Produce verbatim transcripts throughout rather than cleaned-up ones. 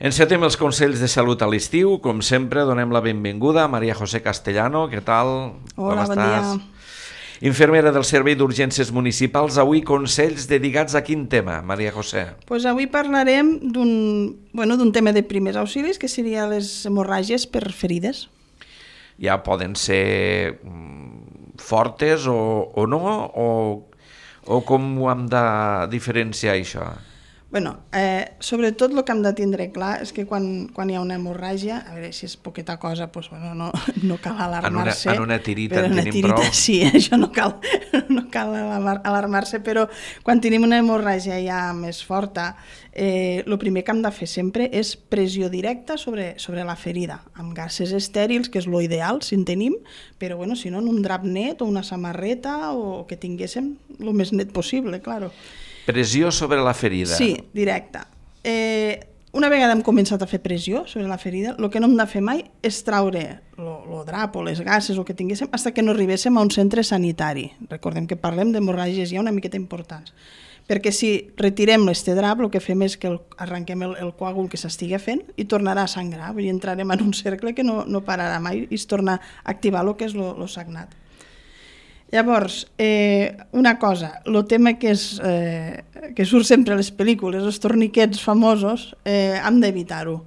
Encetem els consells de salut a l'estiu. Com sempre, donem la benvinguda a Maria José Castellano. Què tal? Hola, Com bon estàs? dia. Infermera del Servei d'Urgències Municipals. Avui consells dedicats a quin tema, Maria José? Pues avui parlarem d'un bueno, d'un tema de primers auxilis, que seria les hemorràgies per ferides. Ja poden ser fortes o, o no? O, o com ho hem de diferenciar, això? Bueno, eh, sobretot el que hem de tindre clar és que quan, quan hi ha una hemorràgia, a veure si és poqueta cosa, pues, bueno, no, no cal alarmar-se. En una, en una tirita en una tenim tirita, prou. Sí, això no cal, no cal alarmar-se, però quan tenim una hemorràgia ja més forta, eh, el primer que hem de fer sempre és pressió directa sobre, sobre la ferida, amb gasses estèrils, que és lo ideal, si en tenim, però bueno, si no, en un drap net o una samarreta o que tinguéssim el més net possible, claro. Pressió sobre la ferida. Sí, directa. Eh, una vegada hem començat a fer pressió sobre la ferida, el que no hem de fer mai és traure el drap o les gasses o el que tinguéssim fins que no arribéssim a un centre sanitari. Recordem que parlem d'hemorràgies ja una miqueta importants. Perquè si retirem este drap, el que fem és que el, arrenquem el, el coàgul que s'estigui fent i tornarà a sangrar. Vull dir, entrarem en un cercle que no, no pararà mai i es torna a activar el que és el sagnat. Llavors, eh, una cosa, el tema que, és, eh, que surt sempre a les pel·lícules, els torniquets famosos, eh, hem d'evitar-ho.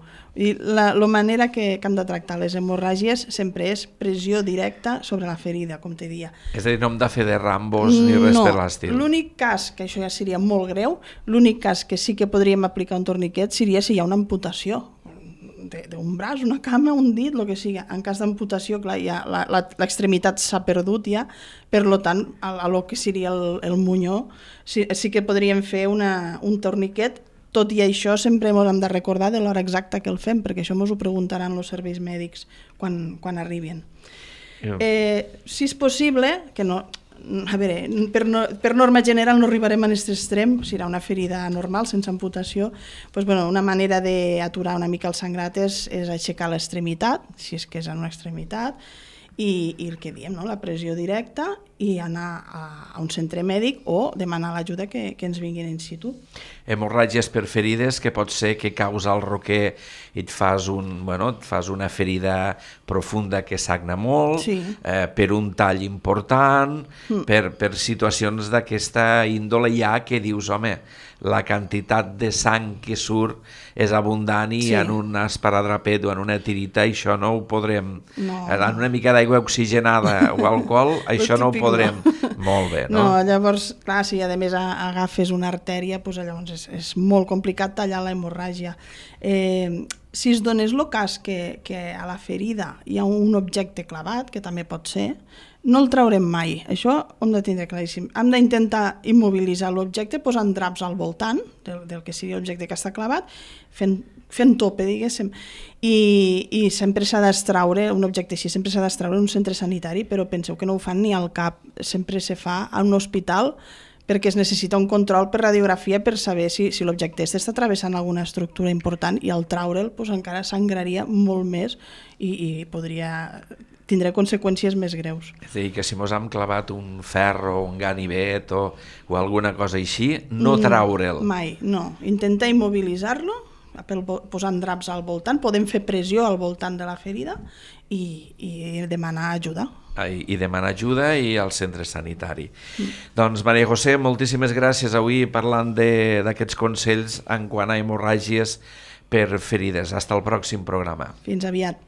La, la manera que, que hem de tractar les hemorràgies sempre és pressió directa sobre la ferida, com te dia. És a dir, no hem de fer de rambos ni res no, per l'estil. L'únic cas, que això ja seria molt greu, l'únic cas que sí que podríem aplicar un torniquet seria si hi ha una amputació d'un braç, una cama, un dit, el que sigui. En cas d'amputació, clar, ja l'extremitat s'ha perdut ja, per tant, a, a lo que seria el, el munyó, sí, sí que podríem fer una, un torniquet. Tot i això, sempre hem de recordar de l'hora exacta que el fem, perquè això ens ho preguntaran els serveis mèdics quan, quan arribin. Yeah. Eh, si és possible, que no... A veure, per, no, per norma general no arribarem a aquest extrem, serà una ferida normal, sense amputació, doncs, bueno, una manera d'aturar una mica el sangrat és, és aixecar l'extremitat, si és que és en una extremitat, i, i el que diem, no? La pressió directa i anar a, a un centre mèdic o demanar l'ajuda que, que ens vinguin in situ. Hemorràgies per ferides, que pot ser que causa el roquer i et fas, un, bueno, et fas una ferida profunda que sagna molt, sí. eh, per un tall important, mm. per, per situacions d'aquesta índole ja que dius, home, la quantitat de sang que surt és abundant i sí. en un esparadrapet o en una tirita això no ho podrem... No. En una mica d'aigua oxigenada o alcohol, això no ho podrem... No. Molt bé, no? No, llavors, clar, si a més agafes una artèria, doncs llavors és, és molt complicat tallar la hemorràgia. Eh, si es donés el cas que, que a la ferida hi ha un objecte clavat, que també pot ser, no el traurem mai. Això ho hem de tindre claríssim. Hem d'intentar immobilitzar l'objecte posant draps al voltant del, del que sigui l'objecte que està clavat, fent, fent tope, diguéssim, i, i sempre s'ha d'extraure, un objecte així sempre s'ha d'extraure en un centre sanitari, però penseu que no ho fan ni al cap, sempre se fa a un hospital, perquè es necessita un control per radiografia per saber si, si l'objecte està travessant alguna estructura important, i al traure'l doncs, encara sangraria molt més i, i podria tindrà conseqüències més greus. És a dir, que si mos hem clavat un ferro, un ganivet o, o alguna cosa així, no traure'l. Mai, no. Intenta immobilitzar-lo, posant draps al voltant, podem fer pressió al voltant de la ferida i, i demanar ajuda. I, i demanar ajuda i al centre sanitari. Mm. Doncs, Maria José, moltíssimes gràcies avui parlant d'aquests consells en quant a hemorràgies per ferides. Hasta el pròxim programa. Fins aviat.